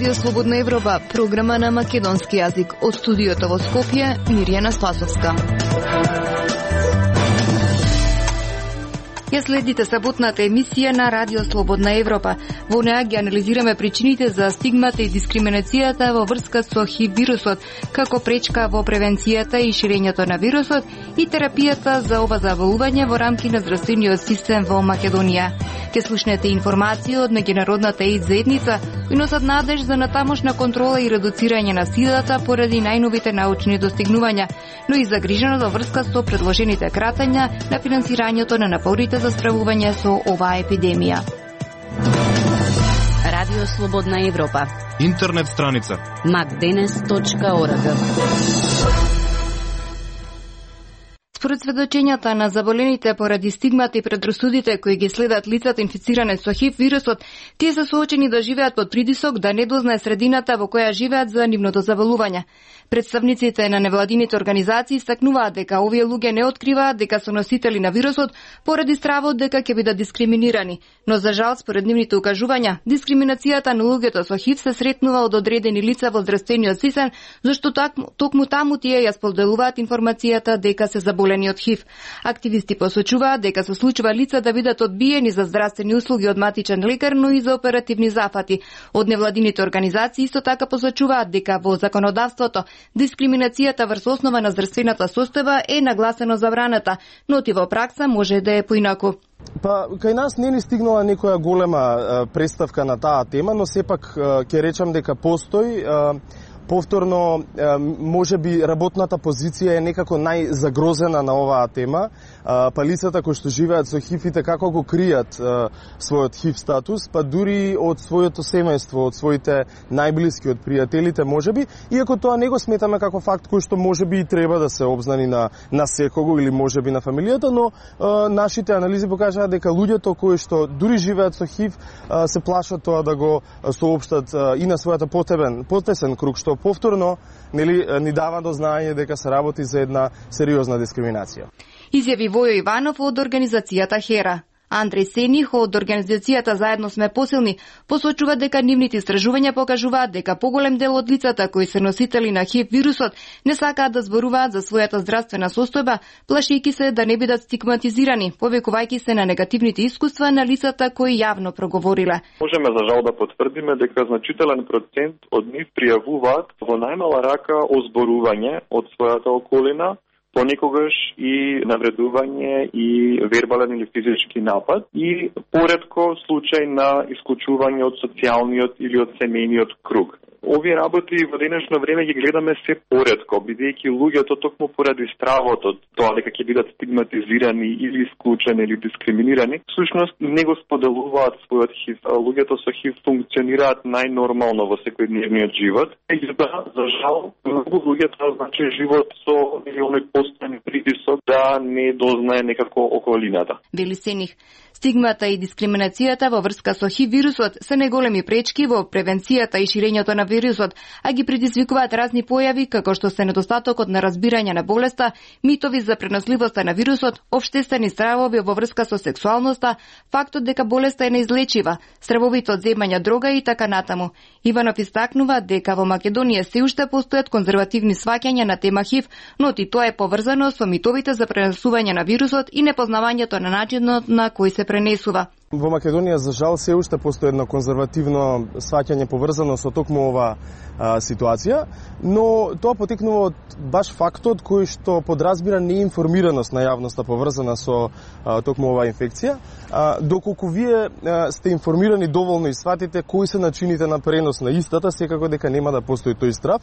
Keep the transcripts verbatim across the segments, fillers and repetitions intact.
Радио Слободна Европа, програма на македонски јазик. Од студиото во Скопје, Мирјана Спасовска. Ја следите саботната емисија на Радио Слободна Европа. Во неа ги анализираме причините за стигмата и дискриминацијата во врска со ХИВ вирусот, како пречка во превенцијата и ширењето на вирусот и терапијата за ова заболување во рамки на здравствениот систем во Македонија. Ке слушнете информации од меѓународната ЕИДС заедница и носат надеж за натамошна контрола и редуцирање на силата поради најновите научни достигнувања, но и загриженост во врска со предложените кратања на финансирањето на напорите за справување со оваа епидемија. Радио Слободна Европа. Интернет страница макденес точка орг. Според сведочењата на заболените поради стигмата и предрасудите кои ги следат лицата инфициране со ХИВ вирусот, тие се соочени да живеат под притисок да не дознае средината во која живеат за нивното заболување. Представниците на невладините организации истакнуваат дека овие луѓе не откриваат дека се носители на вирусот поради стравот дека ќе бидат дискриминирани, но за жал според нивните укажувања, дискриминацијата на луѓето со ХИВ се сретнува од одредени лица во здравствениот систем, зашто токму таму тие ја споделуваат информацијата дека се заболени од ХИВ. Активисти посочуваат дека се случува лица да бидат одбиени за здравствени услуги од матичен лекар, но и за оперативни зафати. Од невладините организации исто така посочуваат дека во законодавството дискриминацијата врз основа на здравствената состојба е нагласено забраната, но ти во пракса може да е поинаку. Па, кај нас не ни стигнала некоја голема е, представка на таа тема, но сепак ќе речам дека постои. Е, Повторно, може би работната позиција е некако најзагрозена на оваа тема, па лицата кои што живеат со ХИВ и како го кријат својот ХИВ статус, па дури од своето семејство, од своите најблиски, од пријателите можеби, иако тоа не го сметаме како факт кој што можеби и треба да се обзнани на, на секого или можеби на фамилијата, но а, нашите анализи покажаат дека луѓето кои што дури живеат со ХИВ а, се плашат тоа да го соопштат а, и на својата потебен, потесен круг, што повторно нели ни дава до знаење дека се работи за една сериозна дискриминација. Изјави Војо Иванов од организацијата ХЕРА. Андреј Сених од организацијата Заедно сме посилни посочува дека нивните истражувања покажуваат дека поголем дел од лицата кои се носители на ХИВ вирусот не сакаат да зборуваат за својата здравствена состојба, плашејќи се да не бидат стигматизирани, повикувајќи се на негативните искуства на лицата кои јавно проговориле. Можеме за жал да потврдиме дека значителен процент од нив пријавуваат во најмала рака озборување од својата околина, понекогаш и навредување и вербален или физички напад и поретко случај на исклучување од социјалниот или од семејниот круг. Овие работи во денешно време ги гледаме се поретко, бидејќи луѓето токму поради стравот од тоа дека ќе бидат стигматизирани или исклучени или дискриминирани, всушност не го споделуваат својот ХИВ. Луѓето со ХИВ функционираат најнормално во секојдневниот живот. Меѓутоа, за жал, многу луѓе тоа значи живот со оној постојан притисок да не дознае некако околината. Вели Сених, стигмата и дискриминацијата во врска со ХИВ вирусот се неголеми пречки во превенцијата и ширењето на вирусот, а ги предизвикуваат разни појави како што се недостатокот на разбирање на болеста, митови за преносливоста на вирусот, општествени стравови во врска со сексуалноста, фактот дека болеста е неизлечива, стравовите од земање дрога и така натаму. Иванов истакнува дека во Македонија се уште постојат конзервативни сваќања на тема ХИВ, но и тоа е поврзано со митовите за пренесување на вирусот и непознавањето на начинот на кој се пренесува. Во Македонија, за жал, се уште постои едно конзервативно сваќање поврзано со токму ова а, ситуација, но тоа потекнува од баш фактот кој што подразбира неинформираност на јавноста поврзана со а, токму оваа инфекција, а, доколку вие а, сте информирани доволно и сватите кои се начините на пренос на истата, секако дека нема да постои тој страв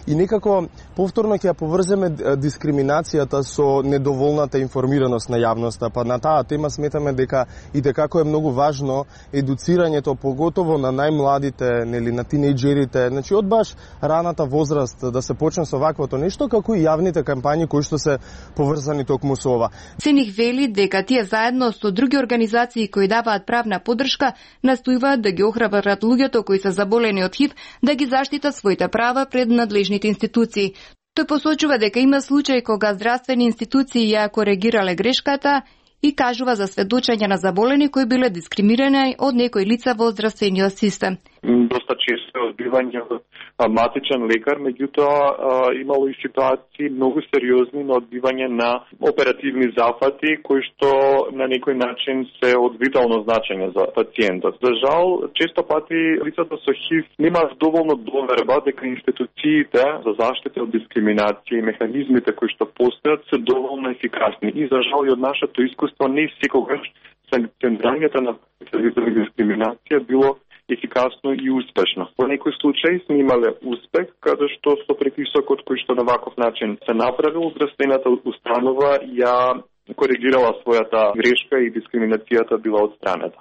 и некако повторно ќе ја поврземе дискриминацијата со недоволната информираност на јавноста, па на таа тема сметаме дека и дека е многу важно едуцирањето, поготово на најмладите, нели, на тинејџерите, значи од баш раната возраст да се почне со ваквото нешто, како и јавните кампањи кои што се поврзани токму со ова. Сених вели дека тие заедно со други организации кои даваат правна поддршка настојуваат да ги охрабрат луѓето кои се заболени од ХИВ да ги заштитат своите права пред надлежните институции. Тој посочува дека има случаи кога здравствени институции ја коригирале грешката и кажува за сведочење на заболени кои биле дискриминирани од некои лица во здравствениот систем. Доста често е одбивање од матичен лекар, меѓутоа имало и ситуации многу сериозни на одбивање на оперативни зафати кои што на некој начин се од витално значење за пациентот. За жал, често пати лицата со ХИВ немаат доволно доверба дека институциите за заштита од дискриминација и механизмите кои што постојат се доволно ефикасни. И за жал и од нашето искуство не секогаш санкционирањето на дискриминација било ефикасно и успешно. Во некој случај сме имале успех, каде што со притисокот кој што на ваков начин се направил, здравствената установа ја коригирала својата грешка и дискриминацијата била отстранета.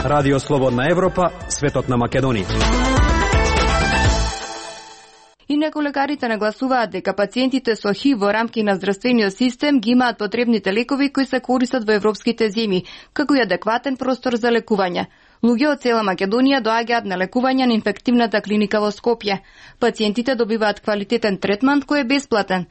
Радио Слободна Европа, светот на Македонија. Инаку лекарите нагласуваат дека пациентите со ХИВ во рамки на здравствениот систем ги имаат потребните лекови кои се користат во европските земји, како и адекватен простор за лекување. Луѓе од цела Македонија доаѓаат на лекување на инфективната клиника во Скопје. Пациентите добиваат квалитетен третман кој е бесплатен.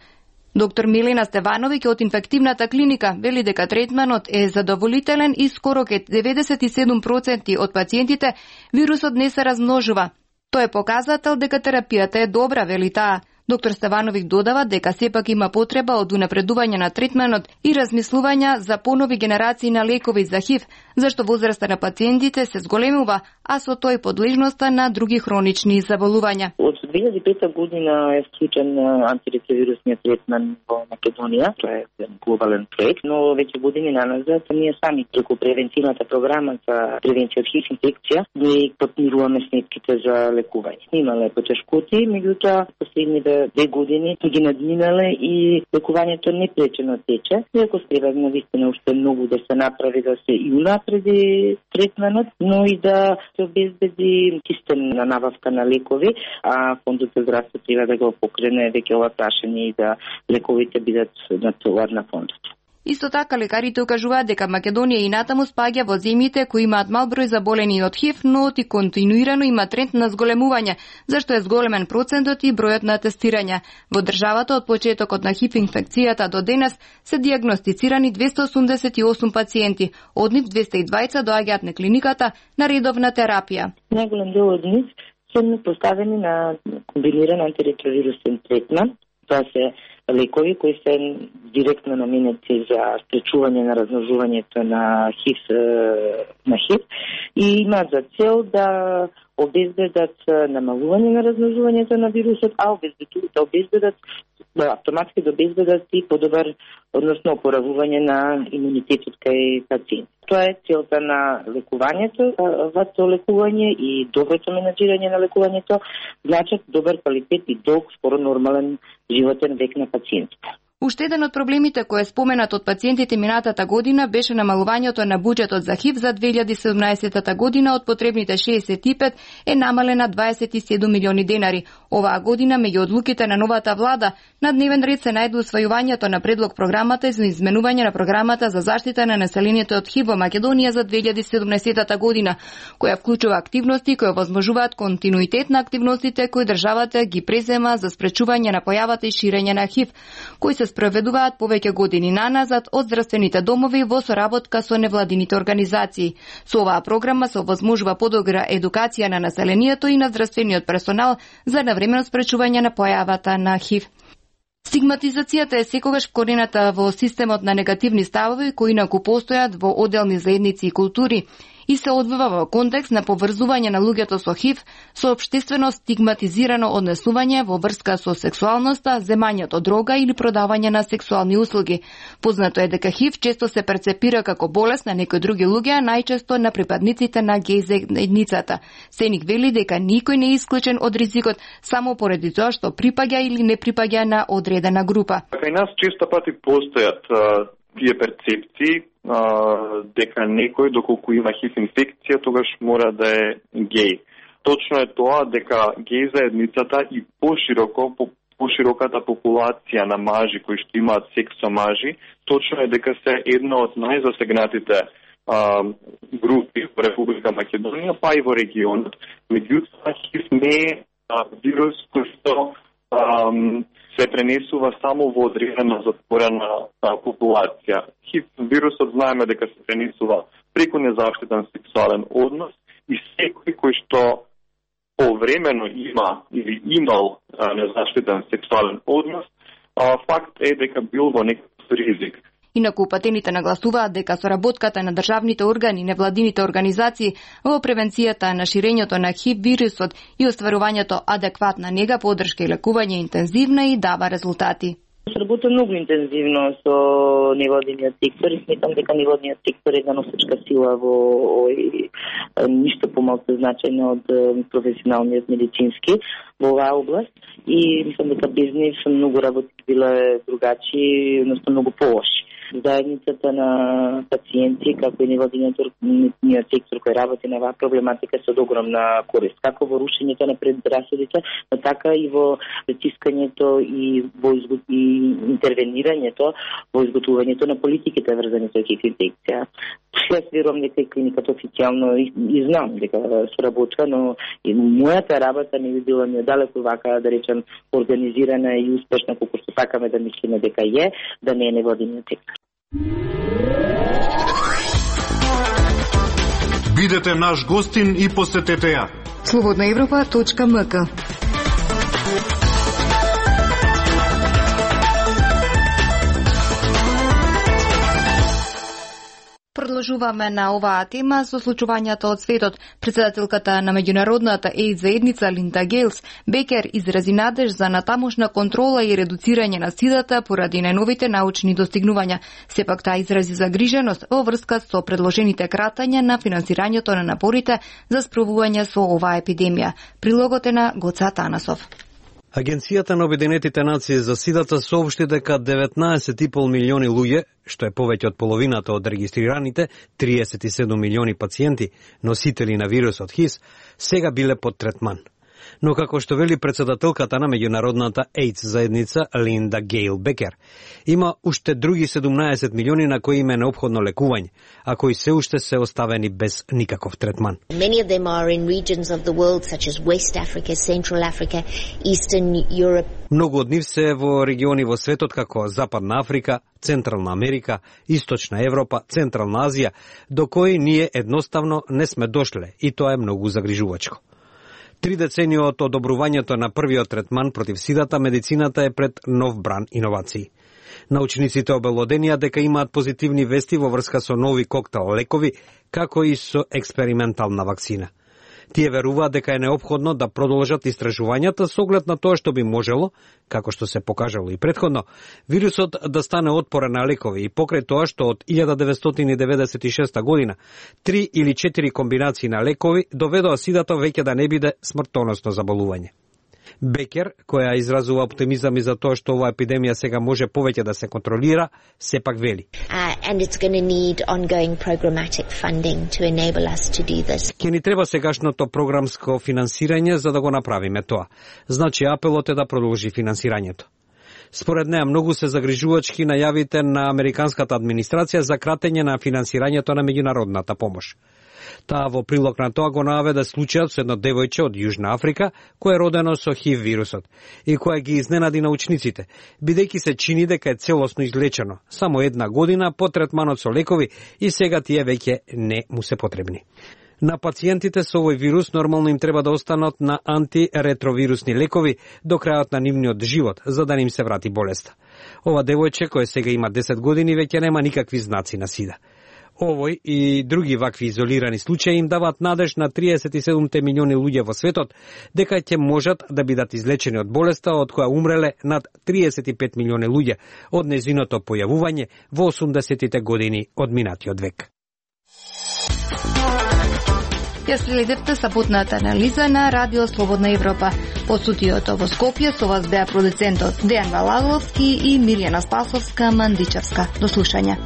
Доктор Милена Стевановиќ од инфективната клиника вели дека третманот е задоволителен и скоро ке деветдесет и седум проценти од пациентите вирусот не се размножува. Тоа е показател дека терапијата е добра, вели таа. Доктор Стевановиќ додава дека сепак има потреба од унапредување на третманот и размислувања за понови генерации на лекови за ХИВ, зашто возраста на пациентите се зголемува, а со тој подлежноста на други хронични заболувања. Од две илјади и пета година е вклучен антиретровирусниот третман во Македонија. Тоа е глобален проект, но веќе години наназад ние сами преку превентивната програма за превенција од ХИВ инфекција ние подмируваме сметките за лекување. Имале потешкоти, меѓутоа последните две години ги надминале и лекувањето непречено тече. Иако треба навистина уште многу да се направи, да се и унапреди третманот, но и да се обезбеди систем на набавка на лекови, а фондот за здравство треба да го покрене веќе ова прашање и да лековите бидат на товар на фондот. Исто така, лекарите укажуваат дека Македонија и натаму спаѓа во земјите кои имаат мал број заболени од ХИВ, но и континуирано има тренд на зголемување, зашто е зголемен процентот и бројот на тестирања. Во државата од почетокот на ХИВ инфекцијата до денес се дијагностицирани двесте осумдесет и осум пациенти, од нив двесте и дваесет доаѓаат на клиниката на редовна терапија. Најголем дел од нив се поставени на комбиниран антиретровирусен третман. Тоа се лекови кои се директно наменети за спречување на размножувањето на ХИВ на ХИВ и имаат за цел да обезбедат намалување на размножувањето на вирусот, а обезбедуваат обезбедат автоматски да обезбедат и подобар, односно опоравување на имунитетот кај пациент. Тоа е целта на лекувањето. Вато лекување и доброто менаџирање на лекувањето значат добар квалитет и долг, скоро нормален животен век на пациентите. Уште еден од проблемите кој е споменат од пациентите минатата година беше намалувањето на буџетот за ХИВ за две илјади и седумнаесета година од потребните шеесет и пет е намалена дваесет и седум милиони денари. Оваа година меѓу одлуките на новата влада на дневен ред се најде усвојувањето на предлог програмата за изменување на програмата за заштита на населението од ХИВ во Македонија за две илјади и седумнаесета година, која вклучува активности кои овозможуваат континуитет на активностите кои државата ги презема за спречување на појавата и ширење на ХИВ, кои се спроведуваат повеќе години наназад од здравствените домови во соработка со невладините организации. Со оваа програма се овозможува подобра едукација на населението и на здравствениот персонал за навремено спречување на појавата на ХИВ. Стигматизацијата е секогаш вкорената во системот на негативни ставови кои инаку постојат во одделни заедници и култури и се одвива во контекст на поврзување на луѓето со ХИВ со општествено стигматизирано однесување во врска со сексуалноста, земањето дрога или продавање на сексуални услуги. Познато е дека ХИВ често се перцепира како болест на некои други луѓе, а најчесто на припадниците на геј заедницата. Сеник вели дека никој не е исклучен од ризикот само поради тоа што припаѓа или не припаѓа на одредена група. Кај нас често пати постојат тие перцепции а, дека некој доколку има ХИВ инфекција тогаш мора да е геј. Точно е тоа дека геј заедницата и пошироко по пошироката популација на мажи кои што имаат секс со мажи, точно е дека се една од најзасегнатите а, групи во Република Македонија, па и во регионот. Меѓутоа ХИВ не е а, вирус кој што а, се пренесува само во одредена затворена а, популација. ХИВ вирусот знаеме дека се пренесува преку незаштитен сексуален однос и секој кој што повремено има или имал а, незаштитен сексуален однос, а, факт е дека бил во некој ризик. Инаку упатените нагласуваат дека соработката на државните органи и невладините организации во превенцијата на ширењето на ХИВ вирусот и остварувањето адекватна нега, поддршка и лекување интензивна и дава резултати. Се работи многу интензивно со невладиниот сектор и сметам дека невладиниот сектор е една носечка сила во овој ништо помалку значајно од професионалниот медицински во оваа област и мислам дека без нив многу работи биле другачи, односно многу полоши. Заедницата на пациенти, како и невладиниот сектор кој работи на оваа проблематика се од огромна корист, како во рушењето на предрасудите, но така и во притискањето и во изгот... и интервенирањето во изготвувањето на политиките врзани со ХИВ инфекција. Јас верувам дека и клиниката официјално и, и знам дека соработува, но и мојата работа не би била ни далеку вака, да речем, организирана и успешна, колку што сакаме да мислиме дека е, да не е невладиниот сектор. Бидете наш гостин и посетете ја. слободна европа точка ем ка. Продолжуваме на оваа тема со случувањата од светот. Председателката на меѓународната AIDS заедница Линда Гејлс Бекер изрази надеж за натамошна контрола и редуцирање на сидата поради најновите научни достигнувања. Сепак таа изрази загриженост во врска со предложените кратања на финансирањето на напорите за справување со оваа епидемија. Прилогот е на Гоца Танасов. Агенцијата на Обединетите нации за сидата соопшти дека деветнаесет и пол милиони луѓе, што е повеќе од половината од регистрираните триесет и седум милиони пациенти, носители на вирусот ХИВ, сега биле под третман. Но како што вели председателката на меѓународната AIDS заедница Линда Гејл Бекер, има уште други седумнаесет милиони на кои им е неопходно лекување, а кои се уште се оставени без никаков третман. Many of them are in regions of the world such as West Africa, Central Africa, Eastern Europe. Многу од нив се во региони во светот како Западна Африка, Централна Америка, Источна Европа, Централна Азија, до кои ние едноставно не сме дошле и тоа е многу загрижувачко. Три децении од одобрувањето на првиот третман против сидата, медицината е пред нов бран иновации. Научниците обелоденија дека имаат позитивни вести во врска со нови коктел лекови, како и со експериментална вакцина. Тие веруваат дека е неопходно да продолжат истражувањата со оглед на тоа што би можело, како што се покажало и претходно, вирусот да стане отпорен на лекови и покрај тоа што од илјада деветстотини деветдесет и шеста година три или четири комбинации на лекови доведоа сидата веќе да не биде смртоносно заболување. Бекер, која изразува оптимизам и за тоа што оваа епидемија сега може повеќе да се контролира, сепак вели. Uh, and it's going to need ongoing programmatic funding to enable us to do this. Ке ни треба сегашното програмско финансирање за да го направиме тоа. Значи апелот е да продолжи финансирањето. Според неа многу се загрижувачки најавите на американската администрација за кратење на финансирањето на меѓународната помош. Таа во прилог на тоа го наведе случајот со едно девојче од Јужна Африка, кое е родено со ХИВ вирусот и кое ги изненади научниците, бидејќи се чини дека е целосно излечено, само една година по третманот со лекови и сега тие веќе не му се потребни. На пациентите со овој вирус нормално им треба да останат на антиретровирусни лекови до крајот на нивниот живот, за да не им се врати болеста. Ова девојче, кое сега има десет години, веќе нема никакви знаци на сида. Овој и други вакви изолирани случаи им даваат надеж на триесет и седум милиони луѓе во светот дека ќе можат да бидат излечени од болеста од која умреле над триесет и пет милиони луѓе од нејзиното појавување во осумдесетите години од минатиот век. Ја следевте саботната анализа на Радио Слободна Европа. Од студиото во Скопје со вас беа продуцентот Дејан Валаловски и Мирјана Спасовска Мандичевска. До слушање.